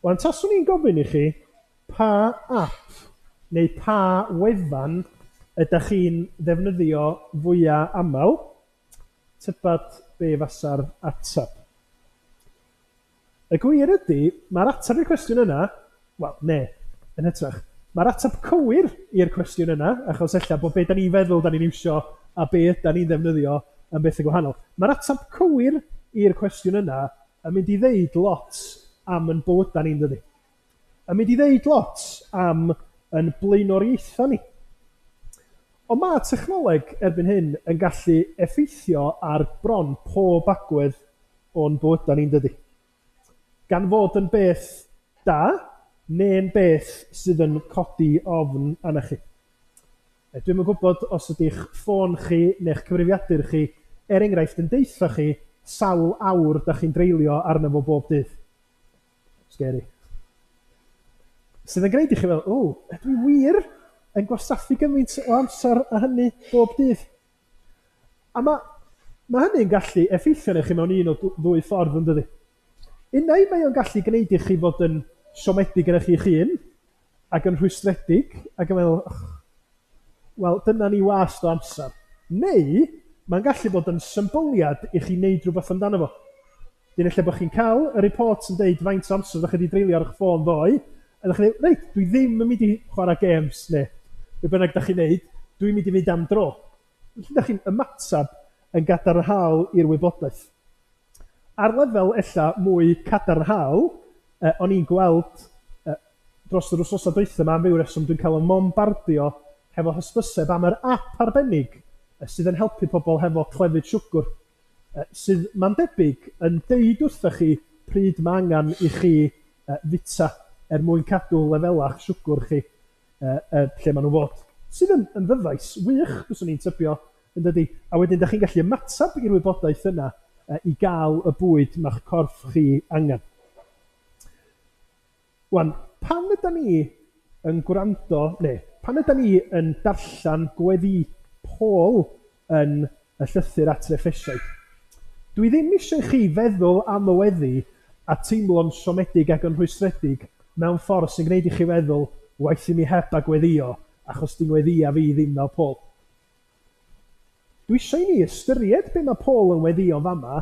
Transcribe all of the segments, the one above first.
Wan, taswn i'n gofyn i chi pa app neu pa wefan ydach chi'n ddefnyddio fwya aml, tybad be fasa'r ateb? Y gwir ydy, mae'r ateb i'r cwestiwn yna, wel, ne, yn hytrach, mae'r ateb cywir i'r cwestiwn yna, achos ella bod be da ni'n feddwl da ni'n iwsio a be yda ni'n ddefnyddio yn bethau gwahanol. Mae'r ateb cywir i'r cwestiwn yna yn mynd i ddeud lot am yn bywydau ni'n dydi? Yn mynd i ddeud lot am yn blaenoriaethau ni. Ond mae technoleg erbyn hyn yn gallu effeithio ar bron pob agwedd o'n bywydau ni'n dydi? Gan fod yn beth da, neu'n beth sydd yn codi ofn arna chi. Dwi'm yn gwybod os ydy'ch ffôn chi neu'ch cyfrifiadur chi, er enghraifft, yn deutha chi sawl awr dach chi'n dreulio arno fo bob dydd. Scary. Sydd yn gwneud i chi feddwl, o, ydw i wir yn gwastraffu gymaint o amser â hynny bob dydd? A mae, mae hynny'n gallu effeithio arnoch chi mewn un o ddwy ffordd, yn dydi? Unai mae o'n gallu gwneud i chi fod yn siomedig yn eich hun, ac yn rhwystredig, ac yn meddwl, och, wel, dyna ni wast o amser. Neu, mae'n gallu bod yn symbyliad i chi wneud rhywbeth amdano fo. Dyn lle bod chi'n cael y report yn deud faint o amser ydych chi wedi dreulio ar eich ffôn ddoe, a ydych chi'n dweud, reit, dwi ddim yn mynd i chwarae games, neu be bynnag ydych chi'n neud, dwi'n mynd i fynd am dro. Felly ydych chi'n ymateb yn gadarnhaol i'r wybodaeth. Ar lefel ella mwy cadarnhaol, o'n i'n gweld dros yr wythnosau dwytha 'ma, am ryw reswm dwi'n cael 'y mombardio hefo hysbyseb am yr ap arbennig sydd yn helpu pobl hefo clefyd siwgr, sydd, mae'n debyg, yn deud wrtha chi pryd mae angen i chi fwyta er mwyn cadw lefelau'ch siwgr chi lle maen nhw fod. Sydd yn yn ddyfais wych, byswn i'n tybio, yn dydi? A wedyn dach chi'n gallu ymateb i'r wybodaeth yna i gael y bwyd mae'ch corff chi angen. Wan, pan ydan ni yn gwrando, neu pan ydan ni yn darllen gweddi Paul yn y llythyr at yr Effesiaid, dwi ddim eisiau i chi feddwl am y weddi a teimlo'n siomedig ac yn rhwystredig mewn ffordd sy'n gwneud i chi feddwl, waeth i mi heb a gweddïo, achos 'di ngweddïa fi ddim fel Paul. Dwi eisiau i ni ystyried be mae Paul yn weddïo yn fama,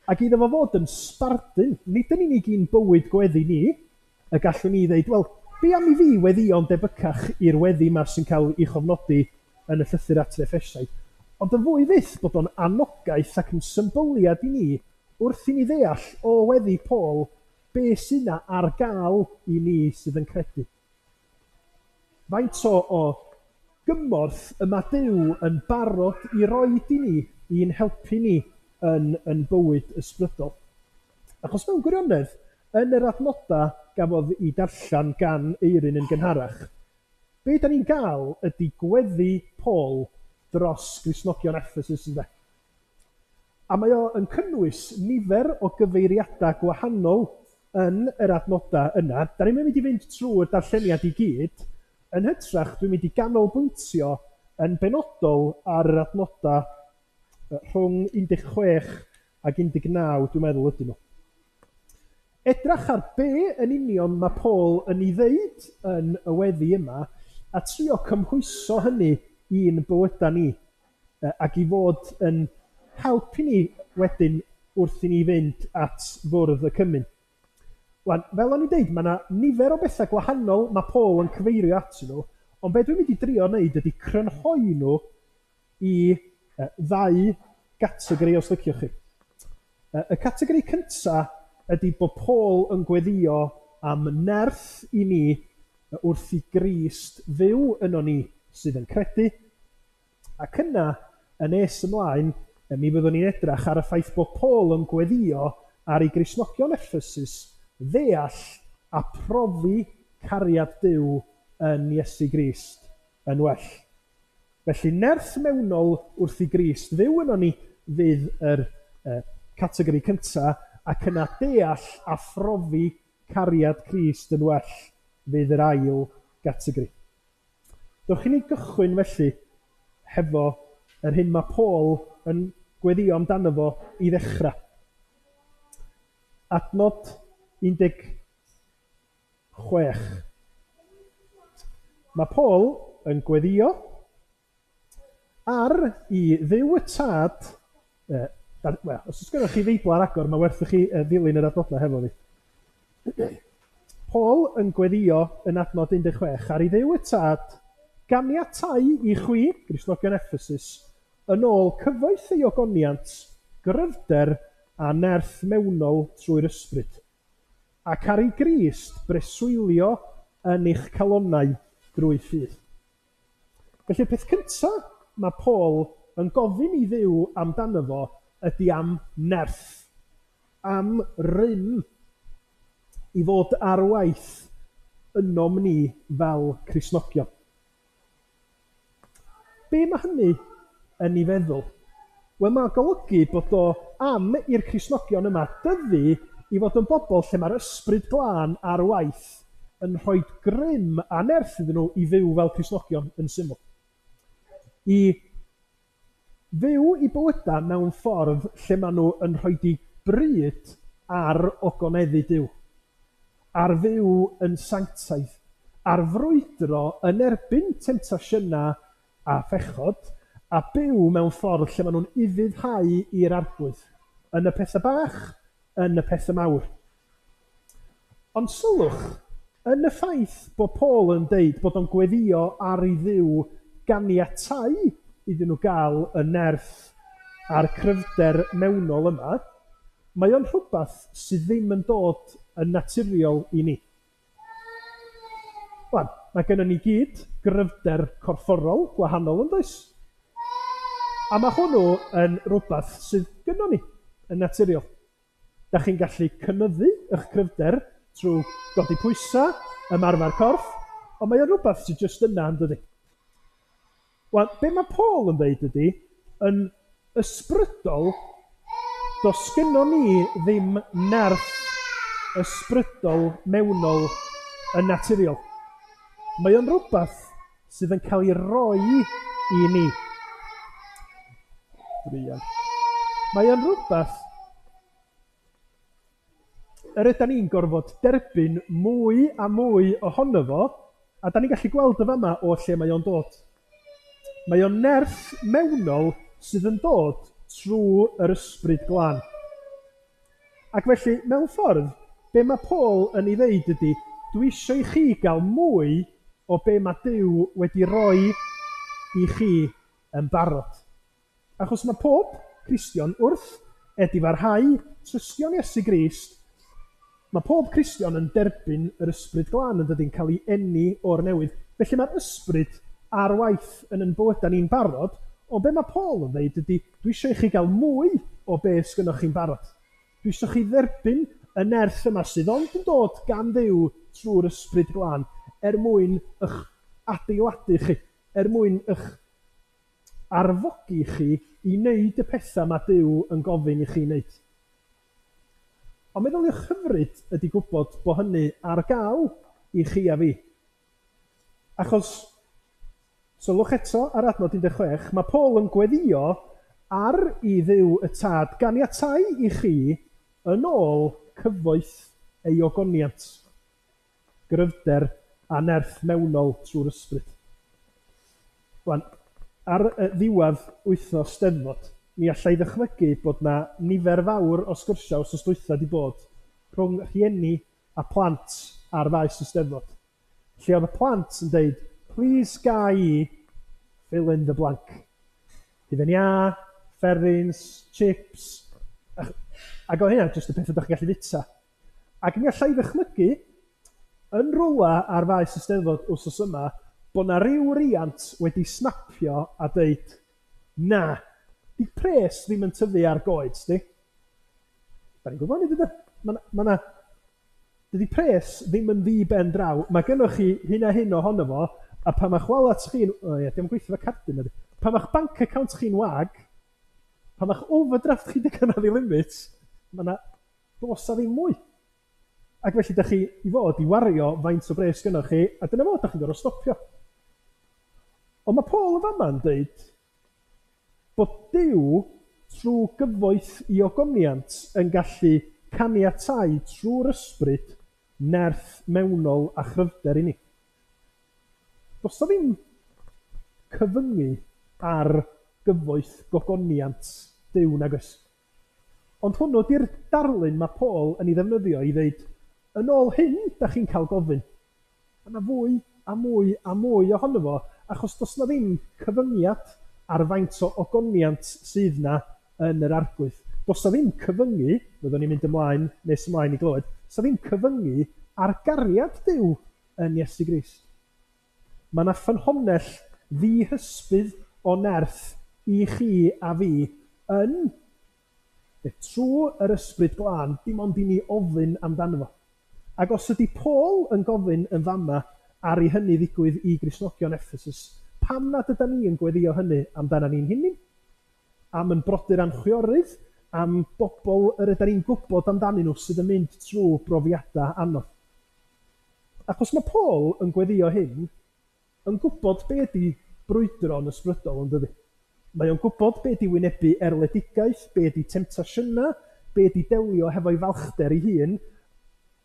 ac iddo fo fod yn sbardun, nid yn unig i'n bywyd gweddi ni, y gallwn ni ddeud, wel, be am i fi weddïo'n debycach i'r weddi 'ma sy'n cael ei chofnodi yn y llythyr at yr Effesiaid, ond yn fwy fyth bod o'n anogaeth ac yn symbyliad i ni wrth i ni ddeall o weddi Paul be sy 'na ar gael i ni sydd yn credu. Faint o o gymorth y mae Duw yn barod i roid i ni i'n helpu ni yn yn bywyd ysbrydol? Achos mewn gwirionedd, yn yr adnodau gafodd i darllen gan Eirin yn gynharach, be da ni'n gael ydy gweddi Paul dros Gristnogion Ephesus, ynde? A mae o yn cynnwys nifer o gyfeiriadau gwahanol yn yr adnodau yna. Da ni'm yn mynd i fynd trwy'r darlleniad i gyd, yn hytrach dwi'n mynd i ganolbwyntio yn benodol ar yr adnodau rhwng 16 ac 19 dwi'n meddwl ydyn nhw. Edrach ar be yn union mae Paul yn ei ddeud yn y weddi yma a trio cymhwyso hynny i'n bywydau ni ac i fod yn help i ni wedyn wrth i ni fynd at fwrdd y cymun. Wan, fel o'n i'n deud, mae yna nifer o bethau gwahanol mae Paul yn cyfeirio atyn nhw, ond be dwi'n mynd i drio wneud ydy crynhoi nhw i ddau gategori os liciwch chi. Y categori cynta ydy bod Paul yn gweddïo am nerth i ni wrth i Grist fyw yno ni sydd yn credu, ac yna, yn nes ymlaen, mi fyddwn ni'n edrach ar y ffaith bod Paul yn gweddïo ar i Gristnogion Effesus ddeall a profi cariad Duw yn Iesu Grist yn well. Felly, nerth mewnol wrth i Grist fyw ynon ni fydd yr categori cyntaf, ac yna deall a phrofi cariad Crist yn well fydd yr ail gategori. Dewch i ni gychwyn felly hefo yr hyn mae Paul yn gweddïo amdano fo i ddechrau. Adnod 16. Mae Paul yn gweddio ar i Dduw y Tad, wel, os oes gennych chi Feibl ar agor, mae werth i chi ddilyn yr adnodau hefo fi. Paul yn gweddio yn adnod 16, ar i Dduw y Tad ganiatau i chwi, Gristnogion Ephesus, yn ôl cyfoeth ei ogoniant, gryfder a nerth mewnol trwy'r ysbryd, ac ar ei Grist breswylio yn eich calonnau drwy ffydd. Felly'r peth cyntaf mae Paul yn gofyn i Dduw amdano fo ydy am nerth, am rym i fod ar waith ynom ni fel Cristnogion. Be mae hynny yn ei feddwl? Wel, mae'n golygu bod o am i'r Cristnogion yma dyfu i fod yn bobl lle mae'r ysbryd glân ar waith yn rhoi grym a nerth iddyn nhw i fyw fel Cristnogion yn syml. I fyw i bywydau mewn ffordd lle maen nhw yn rhoi di bryd ar ogoneddu Duw, ar fyw yn sanctaidd, ar frwydro yn erbyn temtasiynau a phechod, a byw mewn ffordd lle maen nhw'n ufuddhau i'r Arglwydd, yn y pethau bach, yn y pethau mawr. Ond sylwch, yn y ffaith bod Paul yn deud bod o'n gweddio ar i Dduw ganiatau iddyn nhw gael y nerth a'r cryfder mewnol yma, mae o'n rhywbeth sydd ddim yn dod yn naturiol i ni. Wan, mae gennym ni gyd gryfder corfforol gwahanol yn does? A mae hwnnw yn rhywbeth sydd gynnon ni yn naturiol. Da chi'n gallu cynyddu eich cryfder trwy godi pwysau, ymarfer corff, ond mae o'n rhywbeth sydd jyst yna yn dydi. Wan, be mae Paul yn dweud ydy, yn ysbrydol, does gynnon ni ddim nerth ysbrydol mewnol yn naturiol. Mae o'n rhywbeth sydd yn cael ei roi i ni. Druan. Mae o'n rhywbeth yr ydan ni'n gorfod derbyn mwy a mwy ohono fo, a da ni'n gallu gweld y fama o lle mae o'n dod. Mae o'n nerth mewnol sydd yn dod trwy yr ysbryd glân. Ac felly, mewn ffordd, be mae Paul yn ei ddeud ydy, dwi eisiau i chi gael mwy o be mae Duw wedi rhoi i chi yn barod. Achos mae pob Cristion wrth edifarhau trystio'n Iesu Grist, mae pob Cristion yn derbyn yr ysbryd glân yn dydi'n cael ei eni o'r newydd. Felly mae'r ysbryd ar waith yn ein bywydau ni'n barod, ond be mae Paul yn dweud ydy, dwi eisiau i chi gael mwy o be sgynnoch chi'n barod. Dwi eisiau chi dderbyn y nerth yma sydd ond yn dod gan Dduw trwy'r ysbryd glân er mwyn eich adeiladu chi, er mwyn eich arfogi chi i wneud y pethau mae Duw yn gofyn i chi wneud. Ond meddyliwch hyfryd ydy gwybod bod hynny ar gael i chi a fi. Achos, sylwch eto ar adnod 16, mae Paul yn gweddio ar i Dduw y Tad ganiatau i chi yn ôl cyfoeth ei ogoniant, gryfder a nerth mewnol trwy'r ysbryd. Wan, ar ddiwedd wythnos Steddfod, mi allai ddychmygu bod na nifer fawr o sgyrsiau wythnos dwytha wedi bod rhwng rhieni a plant ar faes y Steddfod. Lle oedd y plant yn deud, please ga i fill in the blank. Hufen iâ, fferins, chips, ac oedd hynna jyst y pethau ydych chi'n gallu fwyta. Ac mi allai ddychmygu yn rwla ar faes y Steddfod wythnos yma bod na ryw riant wedi snapio a deud, na, di pres ddim yn tyfu ar goed, di. Da ni'n gwybod hynny, dydy? Dydy pres ddim yn ddi ben draw. Mae gennych chi hyn a hyn ohono fo, a pan mae'ch wallet chi'n... O ie, dim gweithio fo cardyn ydy. Pan mae'ch bank account chi'n wag, pan mae'ch overdraft chi wedi cyrraedd i limit, mae yna does a ddim mwy. Ac felly, da chi i fod i wario faint o bres gynnoch chi, a dyna fo, da chi'n gorfod stopio. Ond mae Paul yn fama'n dweud bod Duw trwy gyfoeth i ogoniant yn gallu caniatau trwy'r ysbryd nerth mewnol a chryfder i ni. Does 'na ddim cyfyngu ar gyfoeth gogoniant Duw, nag oes? Ond hwnnw 'di'r darlun mae Paul yn ei ddefnyddio i ddeud, yn ôl hyn, da chi'n cael gofyn. Mae yna fwy a mwy a mwy ohono fo, achos does 'na ddim cyfyngiad ar faint o ogoniant sydd 'na yn yr Arglwydd. Does 'na ddim cyfyngu, fyddwn ni'n mynd ymlaen nes ymlaen i glywed, does 'na ddim cyfyngu ar gariad Duw yn Iesu Grist. Mae 'na ffynhonnell ddihysbydd o nerth i chi a fi yn trwy yr Ysbryd Glân, dim ond i ni ofyn amdano fo. Ac os ydy Paul yn gofyn yn fama ar i hynny ddigwydd i Gristnogion Ephesus, pam nad ydan ni yn gweddio hynny amdana ni'n hunain? Am yn brodyr a'n chwiorydd, am bobl yr ydan ni'n gwybod amdanyn nhw sydd yn mynd trwy brofiadau anodd. Achos mae Paul yn gweddio hyn yn gwybod be ydy brwydro'n ysbrydol, yn dydi? Mae o'n gwybod be ydy wynebu erledigaeth, be ydy temtasiynau, be ydy delio hefo'i falchder ei hun,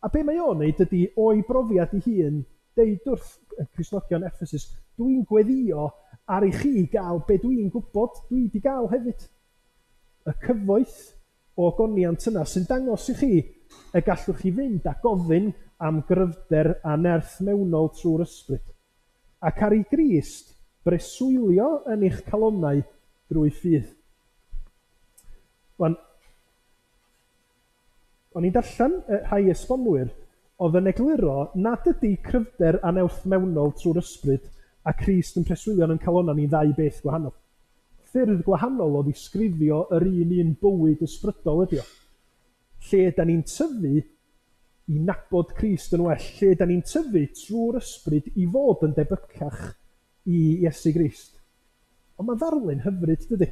a be mae o'n neud ydy o'i brofiad ei hun, deud wrth y Cristnogion Ephesus, dwi'n gweddio ar i chi gael be dwi'n gwybod dwi wedi gael hefyd. Y cyfoeth o ogoniant yna sy'n dangos i chi y gallwch chi fynd a gofyn am gryfder a nerth mewnol trwy'r ysbryd. Ac ar i Grist breswylio yn eich calonnau drwy ffydd. Wan, o'n i'n darllen rhai esbonwyr oedd yn egluro nad ydy cryfder a nerth mewnol trwy'r ysbryd a Crist yn preswylio yn ein calonnau ni'n ddau beth gwahanol. Ffyrdd gwahanol o ddisgrifio yr un un bywyd ysbrydol ydy o. Lle da ni'n tyfu i nabod Crist yn well, lle da ni'n tyfu trwy'r ysbryd i fod yn debycach i Iesu Grist. Ond mae'n ddarlun hyfryd, dydy?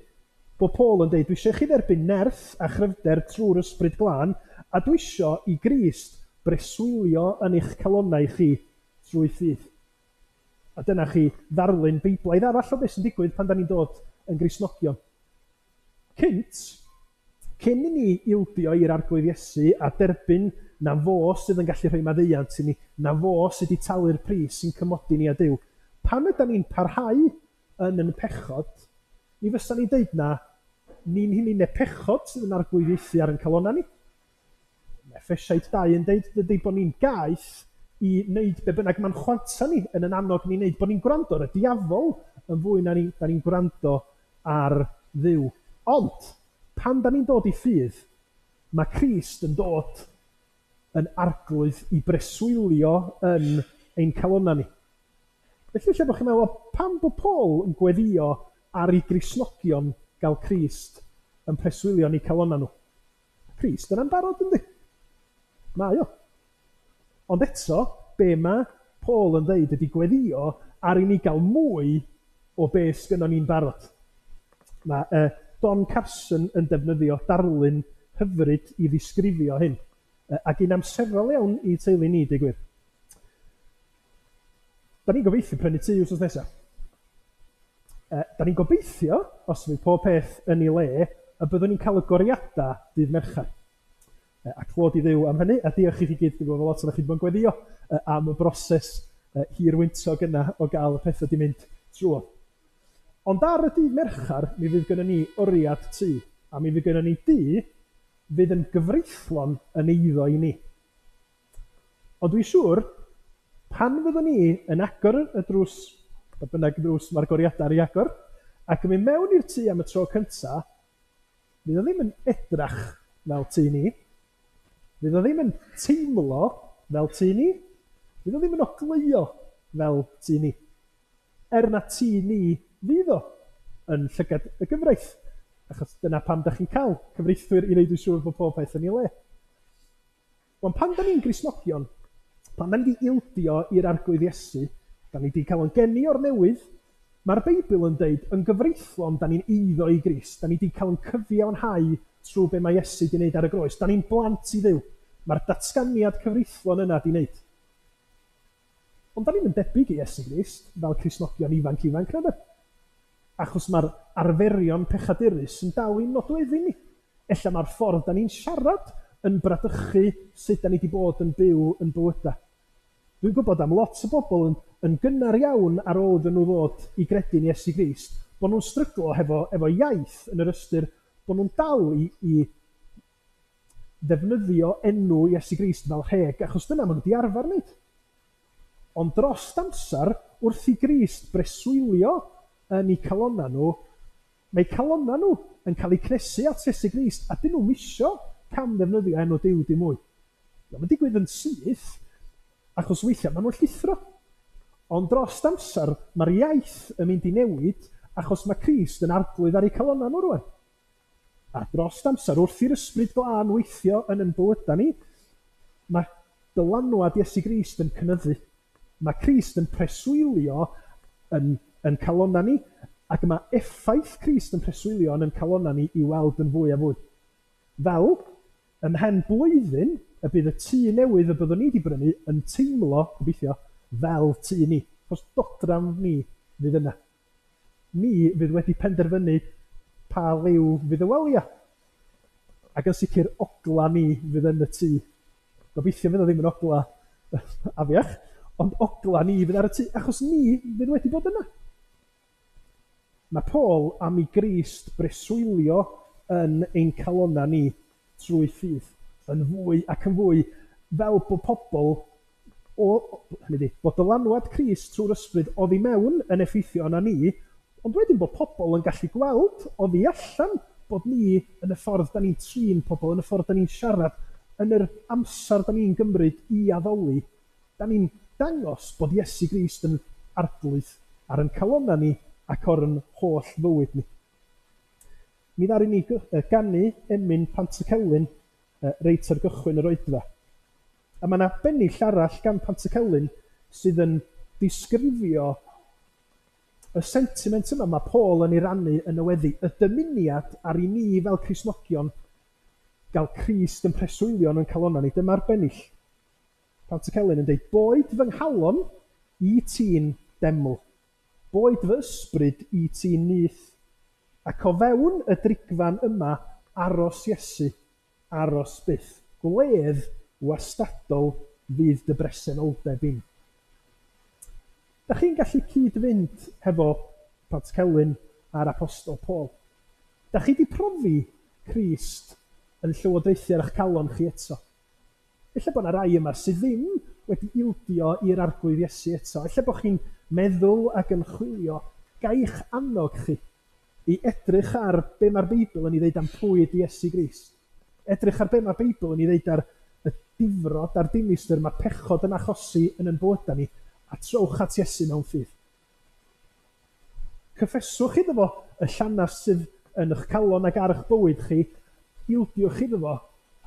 Bod Paul yn dweud, dwi eisiau chi dderbyn nerth a chryfder trwy'r ysbryd glân, a dwi eisiau i Grist breswylio yn eich calonnau chi trwy ffydd. A dyna chi ddarlun Beiblaidd arall o beth sy'n digwydd pan da ni'n dod yn Gristnogion. Cynt, cyn i ni ildio i'r Arglwydd Iesu a derbyn na fo sydd yn gallu rhoi maddeuant i ni, na fo sydd wedi talu'r pris sy'n cymodi ni a Duw, pan ydan ni'n parhau yn yn pechod, mi fysa ni'n deud na ni'n hunain neu pechod sydd yn arglwyddiaethu ar ein calonnau ni. Mae Effesiaid 2 yn deud dydy bod ni'n gaeth i wneud be bynnag mae'n chwanta ni yn yn annog ni wneud, bod ni'n gwrando ar y diafol yn fwy na ni, da ni'n gwrando ar Dduw. Ond, pan da ni'n dod i ffydd, mae Crist yn dod yn arglwydd i breswylio yn ein calonnau ni. Felly, lle bod chi'n meddwl, pam bod Paul yn gweddio ar ei Gristnogion gael Crist yn preswylio yn eu calonnau nhw? Crist yna'n barod, yndi? Mae o. Ond eto, be mae Paul yn dweud ydy gweddio ar i ni gael mwy o be sgynnon ni'n barod. Mae Don Carson yn defnyddio darlun hyfryd i ddisgrifio hyn, ac un amserol iawn i teulu ni, deud gwir. Da ni'n gobeithio prynu tŷ wythnos nesaf. Da ni'n gobeithio, os fydd pob peth yn ei le, y byddwn ni'n cael y goriadau dydd Mercher. A clod i Dduw am hynny, a diolch i chi gyd, dwi'n gwybod lot ohonoch chi wedi bod yn gweddio am y broses hir wyntog yna o gael y pethau di mynd trwodd. Ond ar y dydd Mercher, mi fydd gynnon ni oriad tŷ, a mi fydd gynnon ni dŷ fydd yn gyfreithlon yn eiddo i ni. Ond dwi'n siŵr, pan fyddwn ni yn agor y drws, pa bynnag ddrws mae'r goriadau ar ei agor, ac yn mynd mewn i'r tŷ am y tro cyntaf, fydd o ddim yn edrach fel tŷ ni, fydd o ddim yn teimlo fel tŷ ni, fydd o ddim yn ogleuo fel tŷ ni. Er na tŷ ni fydd o yn llygad y gyfraith, achos dyna pam da chi'n cael cyfreithwyr i wneud yn siŵr bod pob peth yn ei le. Ond pan da ni'n Gristnogion, pan da ni wedi ildio i'r Arglwydd Iesu, da ni wedi cael ein geni o'r newydd, mae'r Beibl yn deud yn gyfreithlon da ni'n eiddo i Grist, da ni wedi cael ein cyfiawnhau trwy be mae Iesu wedi wneud ar y groes. Da ni'n blant i Dduw. Mae'r datganiad cyfreithlon yna wedi wneud. Ond da ni'n yn debyg i Iesu Grist fel Cristnogion ifanc ifanc, na? Achos mae'r arferion pechadurus yn dal i'n nodweddu ni. Ella mae'r ffordd da ni'n siarad yn bradychu sut da ni wedi bod yn byw yn bywydau. Dwi'n gwybod am lot o bobl yn gynnar iawn ar ôl iddyn nhw ddod i gredu'n Iesu Grist, bod nhw'n stryglo efo iaith yn yr ystyr bod nhw'n dal i ddefnyddio enw Iesu Grist fel rheg, achos dyna maen nhw wedi arfer wneud. Ond dros amser, wrth i Grist breswylio yn eu calonnau nhw, mae calonnau nhw yn cael eu cnesu at Iesu Grist, a dyn nhw'm isio cam ddefnyddio enw Duw dim mwy. Mae'n digwydd yn syth, achos weithiau maen nhw'n llithro. Ond dros amser, mae'r iaith yn mynd i newid, achos mae Crist yn arglwydd ar eu calonnau nhw rwan. A dros amser, wrth i'r Ysbryd Glân weithio yn ein bywydau ni, mae dylanwad Iesu Grist yn cynyddu. Mae Crist yn preswylio yn calonnau ni, ac mae effaith Crist yn preswylio yn ein calonnau ni i weld yn fwy a fwy. Fel, ymhen blwyddyn, y bydd y tŷ newydd y byddwn ni wedi brynu yn teimlo, gobeithio, fel tŷ ni. Achos dodrefn ni fydd yna. Ni fydd wedi penderfynu pa liw fydd y waliau. Ac yn sicr ogla ni fydd yn y tŷ. Gobeithio fydd o ddim yn ogla afiach, ond ogla ni fydd ar y tŷ, achos ni fydd wedi bod yna. Mae Paul am i Grist breswylio yn ein calonnau ni trwy ffydd, yn fwy ac yn fwy, fel bod pobl, hynny ydi, bod dylanwad Crist trwy'r ysbryd oddi mewn yn effeithio arna ni, ond wedyn bod pobl yn gallu gweld oddi allan bod ni yn y ffordd da ni'n trin pobl, yn y ffordd da ni'n siarad, yn yr amser da ni'n gymryd i addoli, da ni'n dangos bod Iesu Grist yn arglwydd ar ein calonnau ni ac o'r yn holl fywyd ni. Mi ddaru ni ganu emyn Pantycelyn reit ar gychwyn yr oedfa. A mae yna bennill arall gan Pantycelyn sydd yn disgrifio y sentiment yma mae Paul yn ei rannu yn y weddi, y dymuniad ar i ni fel Cristnogion gael Crist yn preswylio yn ein calonnau ni. Dyma'r bennill. Pantycelyn yn dweud, boed fy nghalon i ti'n deml, boed fy ysbryd i ti'n nyth, ac o fewn y drigfan yma aros Iesu, aros byth. Gwledd wastadol fydd dy bresenoldeb im. Da chi'n gallu cyd-fynd hefo Pantycelyn a'r Apostol Paul? Da chi 'di profi Crist yn llywodraethu ar eich calon chi eto? Ella bod yna rai yma sydd ddim wedi ildio i'r Arglwydd Iesu eto. Ella bod chi'n meddwl ac yn chwilio. Ga i'ch annog chi i edrych ar be mae'r Beibl yn ei ddeud am pwy ydy Iesu Grist. Edrych ar be mae'r Beibl yn ei ddeud ar y difrod a'r dinistr mae pechod yn achosi yn ein bywydau ni, a trowch at Iesu mewn ffydd. Cyffeswch iddo fo y llanast sydd yn eich calon ac ar eich bywyd chi, ildiwch iddo fo,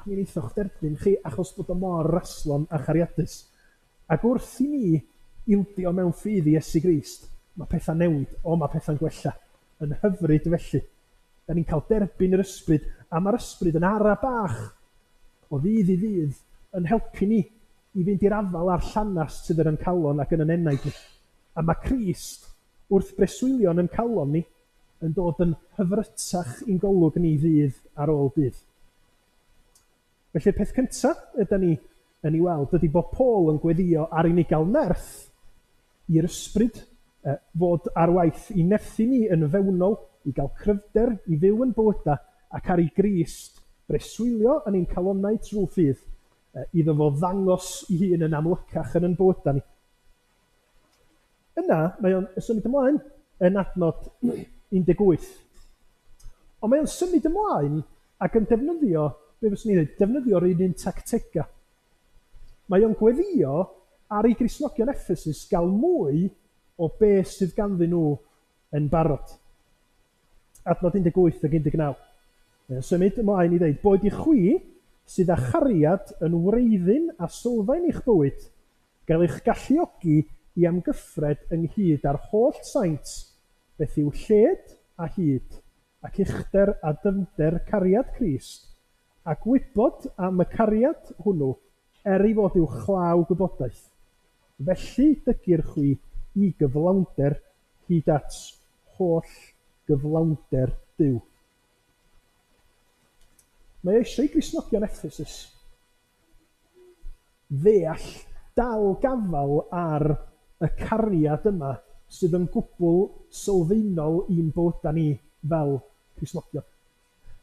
a mi wneithoch derbyn chi achos bod o mor raslon a chariadus. Ac wrth i ni ildio mewn ffydd i Iesu Grist, mae pethau'n newid, o mae pethau'n gwella. Yn hyfryd felly. Da ni'n cael derbyn yr ysbryd, a mae'r ysbryd yn ara bach o ddydd i ddydd yn helpu ni i fynd i'r afael â'r llanast sydd yn ein calon ac yn ein enaid ni. A mae Crist wrth breswylio yn ein calon ni yn dod yn hyfrytach i'n golwg ni ddydd ar ôl dydd. Felly'r peth cyntaf ydy ni yn ei weld ydy bod Paul yn gweddio ar i ni gael nerth i'r ysbryd fod ar waith i nerthu ni yn fewnol, i gael cryfder, i fyw yn bywydau, ac ar i Grist breswylio yn ein calonnau trwy ffydd, iddo fo ddangos ei hun yn amlycach yn ein bywydau ni. Yna, mae o'n symud ymlaen yn adnod 18. Ond mae o'n symud ymlaen ac yn defnyddio, be fyswn i'n dweud, defnyddio'r un tactegau. Mae o'n gweddio ar ei Gristnogion Ephesus gael mwy o beth sydd ganddyn nhw yn barod. Adnod 18 ac 19. Mae'n symud ymlaen i ddweud, boed i chwi sydd â chariad yn wreiddyn a sylfaen eich bywyd, gael eich galluogi i amgyffred ynghyd â'r holl saint, beth yw lled a hyd, ac uchder a dyfnder cariad Crist, a gwybod am y cariad hwnnw, er ei fod uwchlaw gwybodaeth. Felly dygir chwi i gyflawnder hyd at holl gyflawnder Duw. Mae eisiau i Gristnogion Ephesus ddeall, dal gafal ar y cariad yma sydd yn gwbl sylfaenol i'n bywydau ni fel Cristnogion.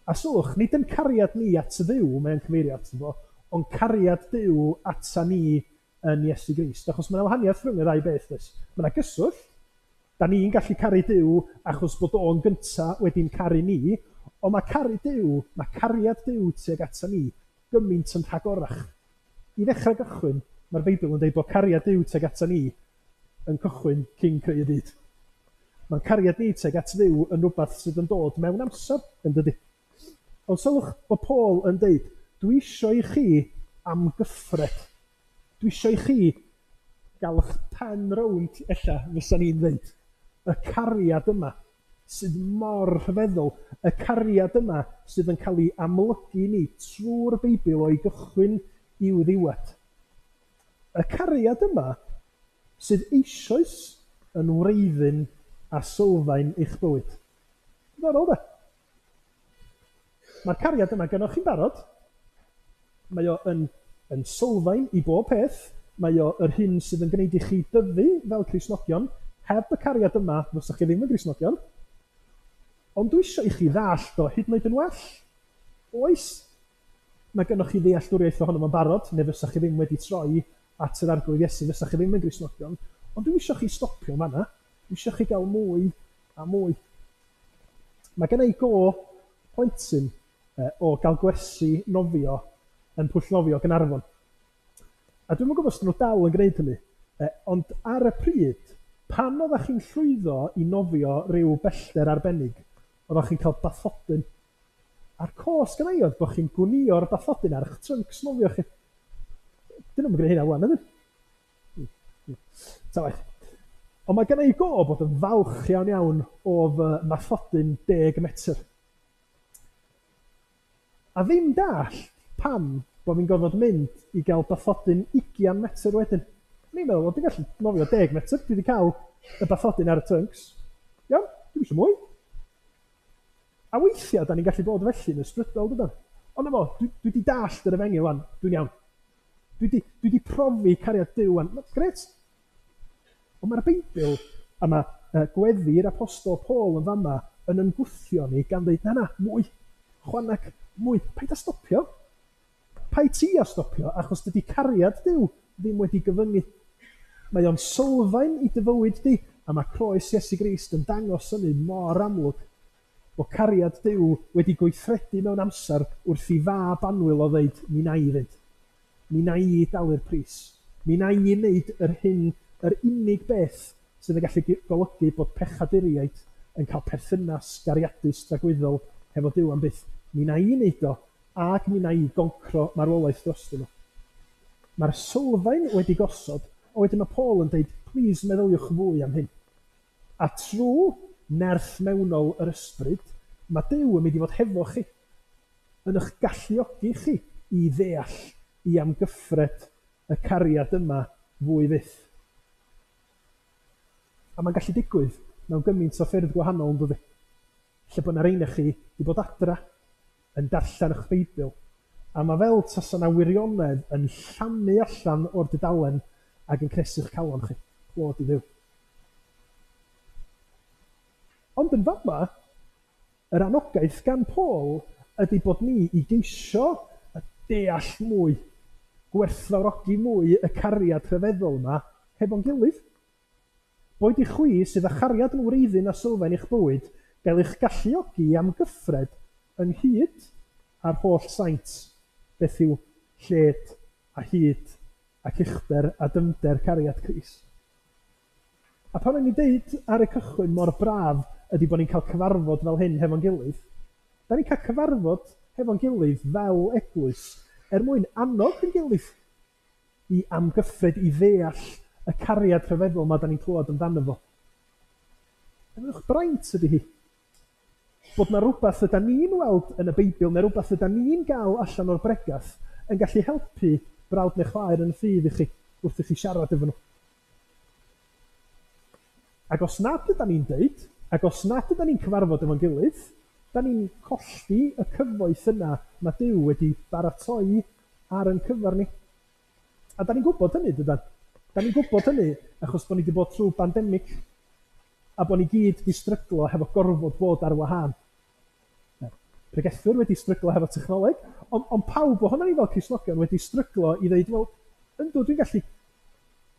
A sylwch, nid yn cariad ni at Dduw mae'n cyfeirio ato fo, ond cariad Duw ata ni yn Iesu Grist. Achos mae yna wahaniaeth rhwng y ddau beth, does? Mae yna gyswllt. Da ni'n gallu caru Duw achos bod o'n gynta wedi'n caru ni, ond mae caru Duw, mae cariad Duw tuag ata ni gymaint yn rhagorach. I ddechrau gychwyn, mae'r Beibl yn dweud bod cariad Duw tuag ata ni yn cychwyn cyn creu y byd. Mae'n cariad ni tuag at Dduw yn rhywbeth sydd yn dod mewn amser, yn dydy? Ond sylwch bod Paul yn deud, dwi eisiau i chi amgyffred. Dwi eisiau i chi gael eich pen rownd, ella, fysa ni'n dweud. Y cariad yma sydd mor rhyfeddol, y cariad yma sydd yn cael ei amlygu ni trwy'r Beibl o'i gychwyn i'w ddiwedd. Y cariad yma sydd eisoes yn wreiddyn a sylfaen eich bywyd. Diddorol, de? Mae'r cariad yma gynnwch chi'n barod. Mae o yn sylfaen i bob peth. Mae o yr hyn sydd yn gwneud i chi dyfu fel Cristnogion. Heb y cariad yma, fysach chi ddim yn Gristnogion. Ond dwi eisiau i chi ddallt o hyd yn oed yn well. Oes, mae gennych chi ddealltwriaeth ohono fo'n barod, neu fysach chi ddim wedi troi at yr Arglwydd Iesu, fysach chi ddim yn Gristnogion. Ond dwi eisiau chi stopio fan'na. Dwi eisiau chi gael mwy a mwy. Mae gen i go plentyn o gael gwersi nofio yn pwll nofio Gaernarfon. A dwi'm yn gwybod os 'dyn nhw dal yn gwneud hynny, ond ar y pryd, pan oeddach chi'n llwyddo i nofio ryw bellter arbennig, oeddach chi'n cael bathodyn. A'r cos gynna i oedd bod chi'n gwnïo'r bathodyn ar eich tryncs nofio chi. Dyn nhw'm yn gwneud hynna ŵan, ydyn? Ta waeth. Ond mae gynna i go bod yn falch iawn iawn o fy mathodyn 10 metr. A ddim dallt pam bod fi'n gorfod mynd i gael bathodyn 20 metr wedyn. O'n i'n meddwl, wel, dwi'n gallu nofio 10 metr, dwi wedi cael y bathodyn ar y tryncs. Iawn, dwi'm eisiau mwy. A weithiau, da ni'n gallu bod felly yn ysbrydol, dydan? Ond na fo, dwi wedi dallt yr efengyl wan, dwi'n iawn. Dwi 'di profi cariad Duw wan. Grêt. Ond mae'r Beibl, a mae gweddi'r Apostol Paul yn fama yn ymgwthio ni gan ddeud, na na, mwy, chwaneg, mwy, paid â stopio. Paid ti â stopio, achos dydy cariad Duw ddim wedi gyfyngu. Mae o'n sylfaen i dy fywyd di, a mae croes Iesu Grist yn dangos hynny mor amlwg. Bod cariad Duw wedi gweithredu mewn amser wrth i fab annwyl o ddeud, mi wna i fynd. Mi wna i dalu'r pris. Mi wna i wneud yr hyn, yr unig beth sydd yn gallu golygu bod pechaduriaid yn cael perthynas gariadus dragwyddol hefo Duw am byth. Mi wna i wneud o, ac mi wna i goncro marwolaeth drostyn nhw. Mae'r sylfaen wedi gosod, a wedyn mae Paul yn deud, plîs meddyliwch fwy am hyn. A trwy nerth mewnol yr Ysbryd, mae Duw yn mynd i fod hefo chi, yn eich galluogi chi i ddeall, i amgyffred y cariad yma fwy fyth. A mae'n gallu digwydd mewn gymaint o ffyrdd gwahanol, yn dydi? Lle bod 'na rei ohonoch chi 'di bod adra yn darllen eich Beibl, a mae fel tasa 'na wirionedd yn llamu allan o'r dudalen ac yn cnesu'ch calon chi. Clod i Dduw. Ond yn fama, yr anogaeth gan Paul ydy bod ni i geisio deall mwy, gwerthfawrogi mwy y cariad rhyfeddol yma hefo'n gilydd. Boed i chwi sydd â chariad yn wreiddyn a sylfaen i'ch bywyd gael eich galluogi i amgyffred ynghyd â'r holl saint beth yw lled a hyd ac uchder a dyfnder cariad Crist. A pan o'n i'n deud ar y cychwyn mor braf ydy bod ni'n cael cyfarfod fel hyn hefo'n gilydd, da ni'n cael cyfarfod hefo'n gilydd fel eglwys er mwyn annog yn gilydd i amgyffred, i ddeall y cariad rhyfeddol ma da ni'n clywed amdano fo. Ymwch braint ydy hi. Bod 'na rywbeth ydan ni'n weld yn y Beibl neu rywbeth ydan ni'n gael allan o'r bregath yn gallu helpu brawd neu chwaer yn y ffydd i chi wrth i chi siarad efo nhw. Ac os nad ydan ni'n deud, ac os nad ydan ni'n cyfarfod efo'n gilydd, Da ni'n colli y cyfoeth yna mae Duw wedi baratoi ar ein cyfer ni. A da ni'n gwybod hynny, dydan? Da ni'n gwybod hynny achos bod ni wedi bod trwy bandemig a bod ni gyd wedi stryglo hefo gorfod bod ar wahân. Pregethwyr wedi stryglo hefo technoleg, ond pawb ohono ni fel Cristnogion wedi stryglo i ddeud, wel, yndw, dwi'n gallu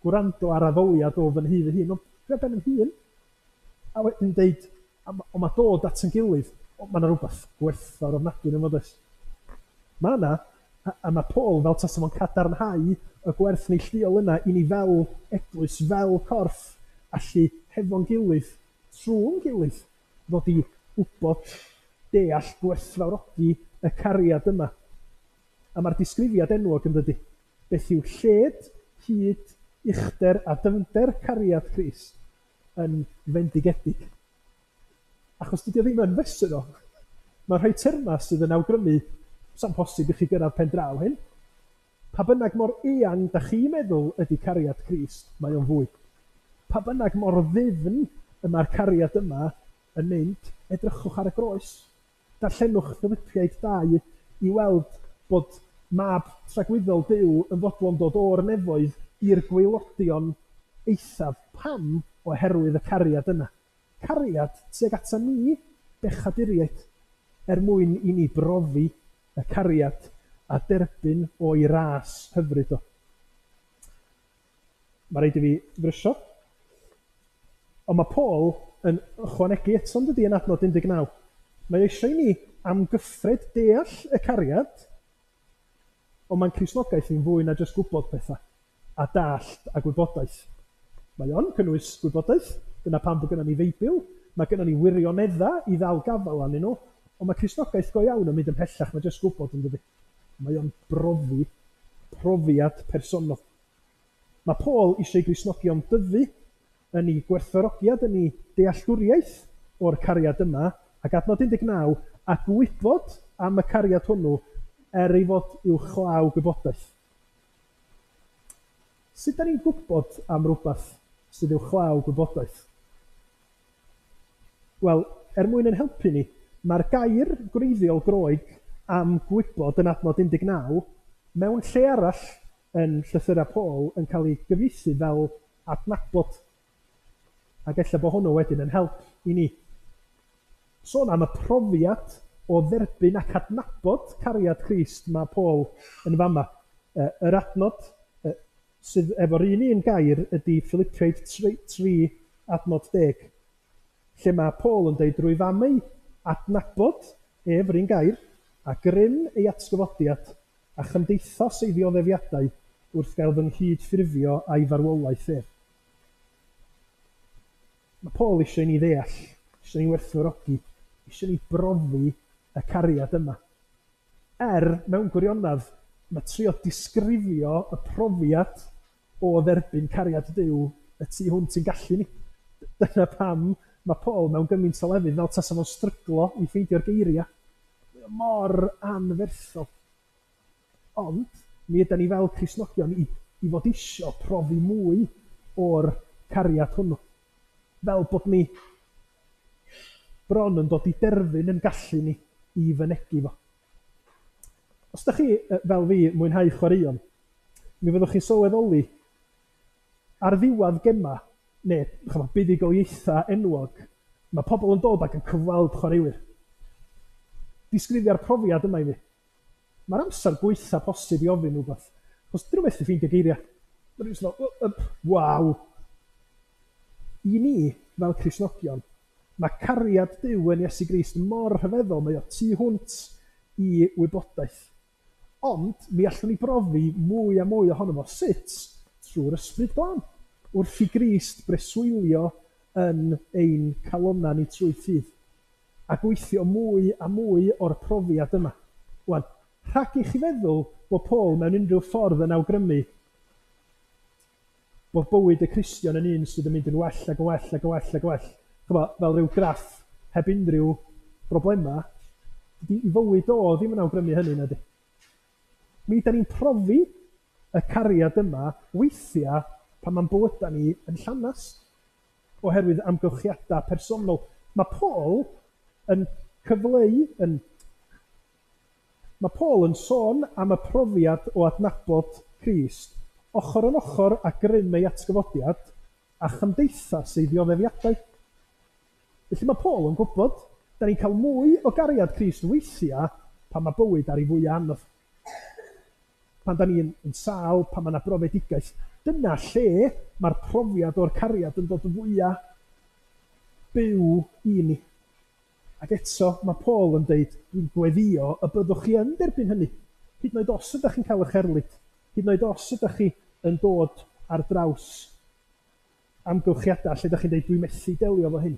gwrando ar addoliad o fy nhŷ fy hun, ond dwi ar ben yn hun. A wedyn deud, ond mae dod at yn gilydd, mae yna rhywbeth gwerthfawr ofnadwy yn fod oes. Mae yna, a mae Paul fel tasa fo'n cadarnhau y gwerth neilltuol yna i ni fel eglwys, fel corff, allu hefo'n gilydd, trwy'n gilydd, ddod i wybod, deall, gwerthfawrogi y cariad yma. A mae'r disgrifiad enwog yn dydy. Beth yw lled, hyd, uchder a dyfnder cariad Crist yn fendigedig. Achos dydy o ddim yn fesur o. Mae rhai termau sydd yn awgrymu sa'n posib i chi gyrraedd pen draw hyn. Pa bynnag mor eang da chi'n meddwl ydy cariad Crist, mae o'n fwy. Pa bynnag mor ddyfn y mae'r cariad yma yn mynd, edrychwch ar y groes. Darllenwch Philipiaid 2 i weld bod mab tragwyddol Duw yn fodlon dod o'r nefoedd i'r gwaelodion eithaf. Pam? Oherwydd y cariad yna. Cariad tuag ata ni, bechaduriaid, er mwyn i ni brofi y cariad a derbyn o'i ras hyfryd o. Mae rhaid i fi frysio. Ond mae Paul yn ychwanegu eto yn dydy yn adnod 19. Mae eisiau i ni amgyffred deall y cariad, ond mae'n Cristnogaeth ni'n fwy na jyst gwybod pethau a dallt a gwybodaeth. Mae o'n cynnwys gwybodaeth, dyna pam bod gynnon ni Feibl, mae gynnon ni wirioneddau i ddal gafael arnyn nhw, ond mae Cristnogaeth go iawn yn mynd ymhellach na jyst gwybod yn dydy. Mae o'n brofi, profiad personol. Mae Paul eisiau i Gristnogion dyfu yn ei gwerthfawrogiad, yn ei dealltwriaeth o'r cariad yma, ac adnod 19, a gwybod am y cariad hwnnw er ei fod uwchlaw gwybodaeth. Sut da ni'n gwybod am rhywbeth sydd uwchlaw gwybodaeth? Wel, er mwyn yn helpu ni, mae'r gair gwreiddiol Groeg am gwybod yn adnod 19 mewn lle arall yn llythyrau Paul yn cael ei gyfieithu fel adnabod. Ac ella bod hwnnw wedyn yn help i ni. Sôn am y profiad o dderbyn ac adnabod cariad Crist mae Paul yn fama. Yr adnod sydd efo'r un gair ydy Philipiaid 3 adnod 10, lle mae Paul yn dweud drwy fam ei adnabod ef yr un gair a grym ei atgyfodiad a chymdeithas ei ddioddefiadau wrth gael fy nghydffurfio a'i farwolaeth ef. Mae Paul eisiau ni ddeall, eisiau ni werthfawrogi, eisiau ni brofi y cariad yma. Mewn gwirionedd, mae trio disgrifio y profiad o dderbyn cariad Duw y tu hwnt i'n gallu ni. Dyna pam mae Paul mewn gymaint o lefydd fel tasa fo'n stryglo i ffeindio'r geiriau. Mae o mor anferthol. Ond mi ydan ni fel Cristnogion i fod isio profi mwy o'r cariad hwnnw. Fel bod ni bron yn dod i derfyn yn gallu ni i fynegi fo. Os da chi, fel fi, mwynhau chwaraeon, mi fyddwch chi'n sylweddoli ar ddiwedd gema, neu buddugoliaethau enwog, mae pobl yn dod ac yn cyfweld chwaraewyr. Disgrifia'r profiad yma i fi. Mae'r amser gwaetha posib i ofyn rhywbeth, achos dyn nhw methu ffeindio geiriau. Mae nhw'n fel, waw! I ni, fel Cristnogion, mae cariad Duw yn Iesu Grist mor rhyfeddol, mae o tu hwnt i wybodaeth. Ond mi allwn ni brofi mwy a mwy ohono fo sut trwy'r Ysbryd Glân, wrth i Grist breswylio yn ein calonnau ni trwy ffydd, a gweithio mwy a mwy o'r profiad yma. Wan, rhag i chi feddwl bod Paul mewn unrhyw ffordd yn awgrymu bod bywyd y Cristion yn un sydd yn mynd yn well ac yn well ac yn well ac yn well, ch'mo, fel rhyw graff heb unrhyw broblemau, dydy i fywyd o ddim yn awgrymu hynny, nadi. Mi da ni'n profi y cariad yma weithiau pan mae'n bywydau ni yn llanast oherwydd amgylchiadau personol. Mae Paul yn cyfleu yn... Mae Paul yn sôn am y profiad o adnabod Crist ochr yn ochr â grym ei atgyfodiad a chymdeithas ei ddioddefiadau. Felly mae Paul yn gwybod, da ni'n cael mwy o gariad Crist weithiau pan mae bywyd ar ei fwyaf anodd. Pan da ni'n yn sâl, pan mae yna brofedigaeth. Dyna lle mae'r profiad o'r cariad yn dod fwyaf byw i ni. Ac eto, mae Paul yn deud, dwi'n gweddio y byddwch chi yn derbyn hynny. Hyd yn oed os ydych chi'n cael eich erlid. Hyd yn oed os ydych chi yn dod ar draws amgylchiadau lle ydych chi'n deud, dwi'n methu delio efo hyn.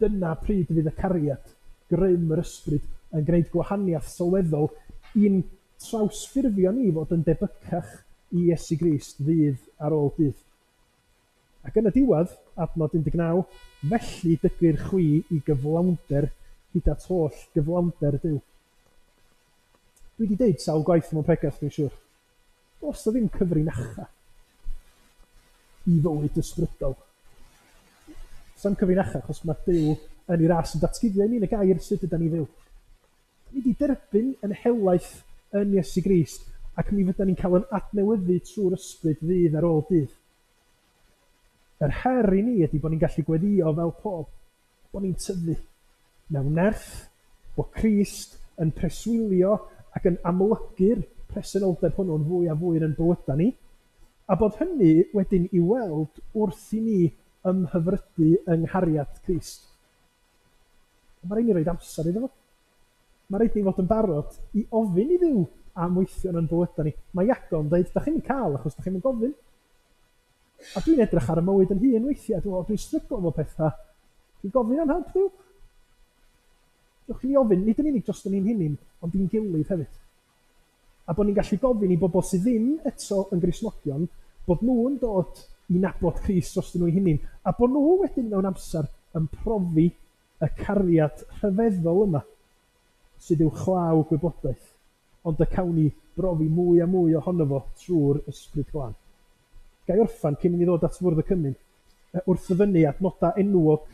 Dyna pryd fydd y cariad, grym yr ysbryd, yn gwneud gwahaniaeth sylweddol i'n trawsffurfio ni fod yn debycach i Iesu Grist ddydd ar ôl dydd. Ac yn y diwedd, adnod 19, felly dygir chwi i gyflawnder hyd at holl gyflawnder Duw. Dwi wedi deud sawl gwaith mewn pregeth, dwi'n siŵr. Does 'na ddim cyfrinacha i fywyd ysbrydol. Does 'na'm cyfrinacha, achos mae Duw yn ei ras yn datguddio i ni yn y gair sut ydan ni fyw. Ni wedi derbyn yn helaeth yn Iesu Grist, ac mi fyddan ni'n cael yn adnewyddu trwy'r ysbryd ddydd ar ôl dydd. Yr her i ni ydy bod ni'n gallu gweddio fel Paul, bod ni'n tyfu mewn nerth, bod Crist yn preswylio ac yn amlygu'r presenoldeb hwnnw'n fwy a fwy yn ein bywydau ni, a bod hynny wedyn i weld wrth i ni ymhyfrydu yng nghariad Crist. Mae rhaid ni roed amser iddo fo. Mae rhaid ni fod yn barod i ofyn i Dduw am weithio yn ein bywydau ni. Mae Iago yn dweud, da chi'n cael achos da chi'n gofyn. A dwi'n edrych ar y mywyd yn hun weithiau, dwi'n dwi'n stryglo efo pethau. Dwi'n gofyn am help Duw. Dewch i ni ofyn, nid yn unig dros ni'n hunain, ond i'n gilydd hefyd. A bod ni'n gallu gofyn i bobl sydd ddim eto yn Gristnogion, bod nhw'n dod i nabod Crist dros nhw'u hunain, a bod nhw wedyn mewn amser yn profi y cariad rhyfeddol yma sydd uwchlaw gwybodaeth, ond y cawn ni brofi mwy a mwy ohono fo trwy'r Ysbryd Glân. Ga i orffan cyn i ni ddod at fwrdd y cymun, wrth ddyfynnu adnodau enwog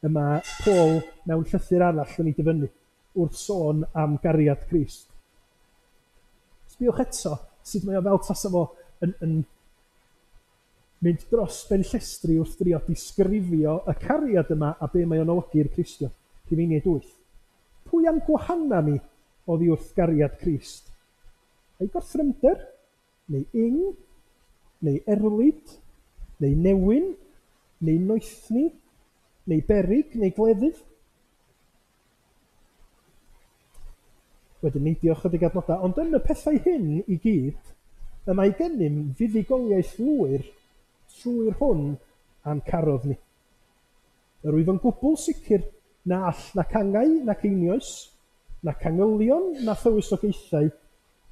y mae Paul mewn llythyr arall yn ei dyfynnu wrth sôn am gariad Crist. Sbiwch eto sut mae o fel tasa fo yn mynd dros ben llestri wrth drio disgrifio y cariad yma a be mae o'n olygu i'r Cristion. Rhufeiniaid 8. Pwy a'n gwahana ni oddi wrth gariad Crist? Ai gorthrymder? Neu ing? Neu erlid? Neu newyn? Neu noethni? Neu berig? Neu gleddyf? Wedyn neidio ychydig adnodau, ond yn y pethau hyn i gyd, y mae gennym fuddugoliaeth lwyr trwy'r hwn a'n carodd ni. Yr wyf yn gwbl sicr na all nac angau nac einioes, nac angylion na thywysogaethau,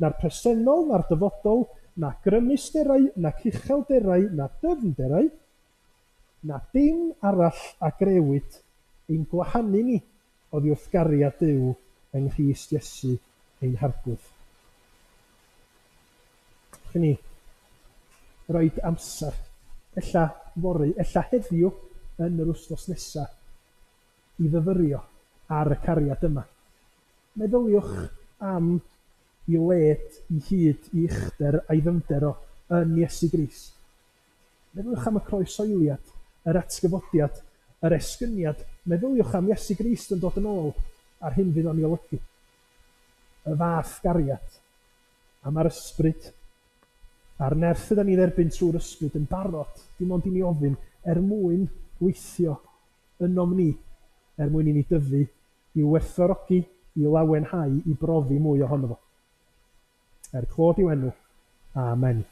na'r presennol na'r dyfodol, na grymusterau nac uchelderau na dyfnderau, na dim arall a grëwyd ein gwahanu ni oddi wrth gariad Duw yng Nghrist Iesu ein Harglwydd. Chi ni roed amser, ella fory, ella heddiw yn yr wythnos nesaf, i fyfyrio ar y cariad yma. Meddyliwch am i led, i hyd, i uchder a'i ddyfnder o yn Iesu Grist. Meddyliwch am y croeshoeliad, yr atgyfodiad, yr esgyniad. Meddyliwch am Iesu Grist yn dod yn ôl a'r hyn fydd o'n ei olygu. Y fath gariad. A mae'r ysbryd a'r nerth ydan ni dderbyn trwy'r ysbryd yn barod, dim ond i ni ofyn, er mwyn gweithio ynom ni, er mwyn i ni dyfu, i'w werthfawrogi, i lawenhau, i brofi mwy ohono fo. Er clod i'w enw. Amen.